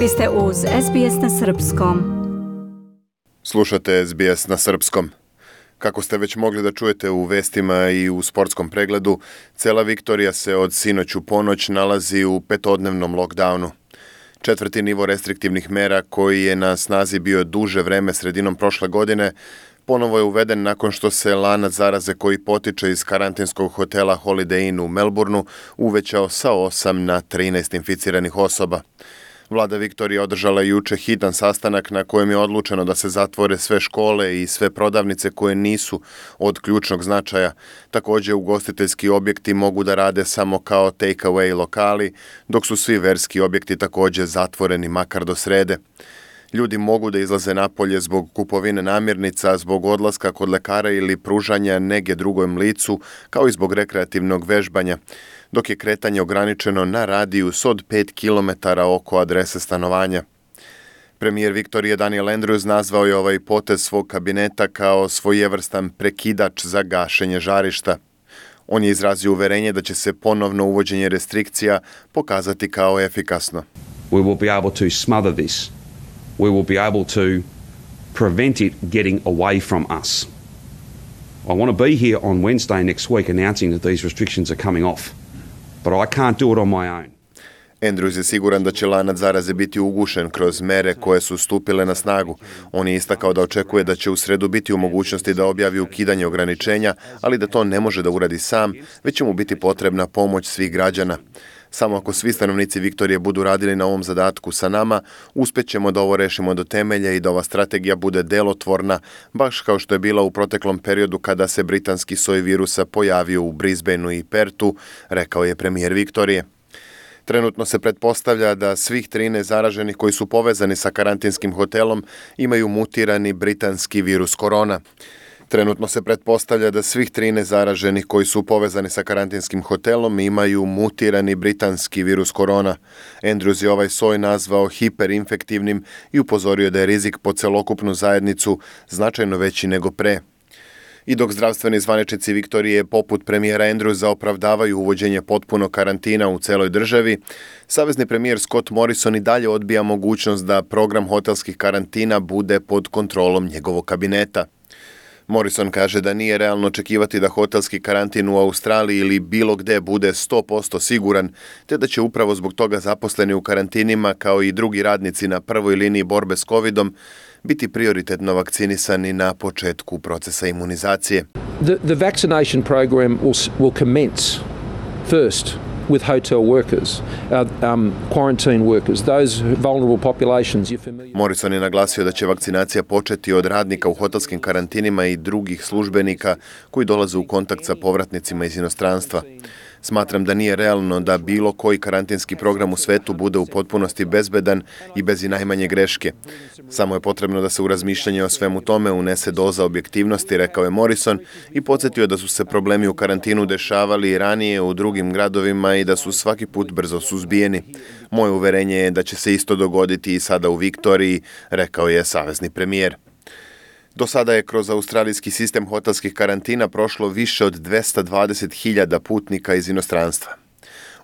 Vi ste uz SBS na Srpskom. Slušate SBS na Srpskom. Kako ste već mogli da čujete u vestima i u sportskom pregledu, cela Viktorija se od sinoć u ponoć nalazi u petodnevnom lockdownu. 4. nivo restriktivnih mera, koji je na snazi bio duže vreme sredinom prošle godine, ponovo je uveden nakon što se lanac zaraze koji potiče iz karantinskog hotela Holiday Inn u Melbourneu uvećao sa 8 na 13 inficiranih osoba. Vlada Viktorije održala juče hitan sastanak na kojem je odlučeno da se zatvore sve škole i sve prodavnice koje nisu od ključnog značaja. Također, ugostiteljski objekti mogu da rade samo kao take-away lokali, dok su svi verski objekti također zatvoreni makar do srede. Ljudi mogu da izlaze napolje zbog kupovine namirnica, zbog odlaska kod lekara ili pružanja nege drugom licu, kao i zbog rekreativnog vežbanja, dok je kretanje ograničeno na radijus od 5 km oko adrese stanovanja. Premijer Viktorije Daniel Andrews nazvao je ovaj potez svog kabineta kao svojevrstan prekidač za gašenje žarišta. On je izrazio uverenje da će se ponovno uvođenje restrikcija pokazati kao efikasno. We will be able to smother this. We will be able to prevent it getting away from us. I want to be here on Wednesday next week announcing that these restrictions are coming off, but I can't do it on my own. Andrews je siguran da će lanac zaraze biti ugušen kroz mere koje su stupile na snagu. On je istakao da očekuje da će u sredu biti u mogućnosti da objavi ukidanje ograničenja, ali da to ne može da uradi sam, već će mu biti potrebna pomoć svih građana. Samo ako svi stanovnici Viktorije budu radili na ovom zadatku sa nama, uspjećemo da ovo rešimo do temelja i da ova strategija bude delotvorna, baš kao što je bila u proteklom periodu kada se britanski soj virusa pojavio u Brisbaneu i Pertu, rekao je premijer Viktorije. Trenutno se pretpostavlja da svih 13 zaraženih koji su povezani sa karantinskim hotelom imaju mutirani britanski virus korona. Trenutno se pretpostavlja da svih 13 zaraženih koji su povezani sa karantinskim hotelom imaju mutirani britanski virus korona. Andrews je ovaj soj nazvao hiperinfektivnim i upozorio da je rizik po celokupnu zajednicu značajno veći nego pre. I dok zdravstveni zvaničnici Viktorije poput premijera Andrewsa opravdavaju uvođenje potpunog karantina u celoj državi, savezni premijer Scott Morrison i dalje odbija mogućnost da program hotelskih karantina bude pod kontrolom njegovog kabineta. Morrison kaže da nije realno očekivati da hotelski karantin u Australiji ili bilo gde bude 100% siguran, te da će upravo zbog toga zaposleni u karantinima, kao i drugi radnici na prvoj liniji borbe s covidom, biti prioritetno vakcinisani na početku procesa imunizacije. The vaccination program will commence first with hotel workers, quarantine workers, those vulnerable populations. Morrison je naglasio da će vakcinacija početi od radnika u hotelskim karantinima i drugih službenika koji dolaze u kontakt sa povratnicima iz inostranstva. Smatram da nije realno da bilo koji karantinski program u svetu bude u potpunosti bezbedan i bez i najmanje greške. Samo je potrebno da se u razmišljanje o svemu tome unese doza objektivnosti, rekao je Morrison, i podsjetio da su se problemi u karantinu dešavali i ranije u drugim gradovima i da su svaki put brzo suzbijeni. Moje uverenje je da će se isto dogoditi i sada u Viktoriji, rekao je savezni premijer. Do sada je kroz australijski sistem hotelskih karantina prošlo više od 220.000 putnika iz inostranstva.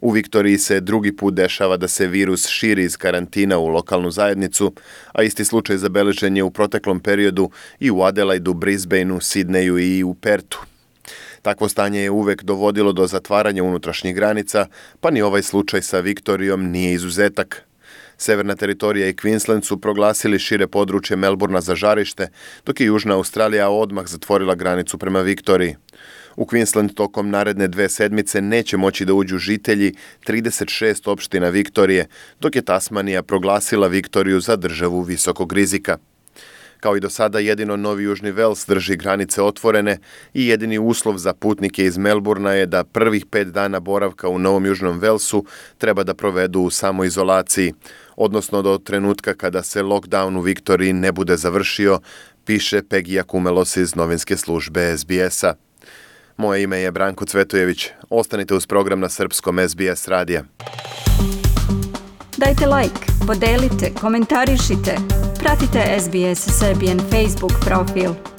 U Viktoriji se drugi put dešava da se virus širi iz karantina u lokalnu zajednicu, a isti slučaj zabeležen je u proteklom periodu i u Adelaidu, Brisbaneu, Sidneju i u Pertu. Takvo stanje je uvek dovodilo do zatvaranja unutrašnjih granica, pa ni ovaj slučaj sa Viktorijom nije izuzetak. Severna teritorija i Queensland su proglasili šire područje Melbournea za žarište, dok je Južna Australija odmah zatvorila granicu prema Viktoriji. U Queensland tokom naredne 2 sedmice neće moći da uđu žitelji 36 opština Viktorije, dok je Tasmanija proglasila Viktoriju za državu visokog rizika. Kao i do sada, jedino Novi Južni Vels drži granice otvorene i jedini uslov za putnike iz Melbournea je da prvih 5 dana boravka u Novom Južnom Velsu treba da provedu u samoizolaciji, odnosno do trenutka kada se lockdown u Viktoriji ne bude završio, piše Pegija Kumelos iz novinske službe SBS-a. Moje ime je Branko Cvetojević. Ostanite uz program na srpskom SBS radija. Dajte like, podelite, komentarišite. Pratite SBS Serbian Facebook profil.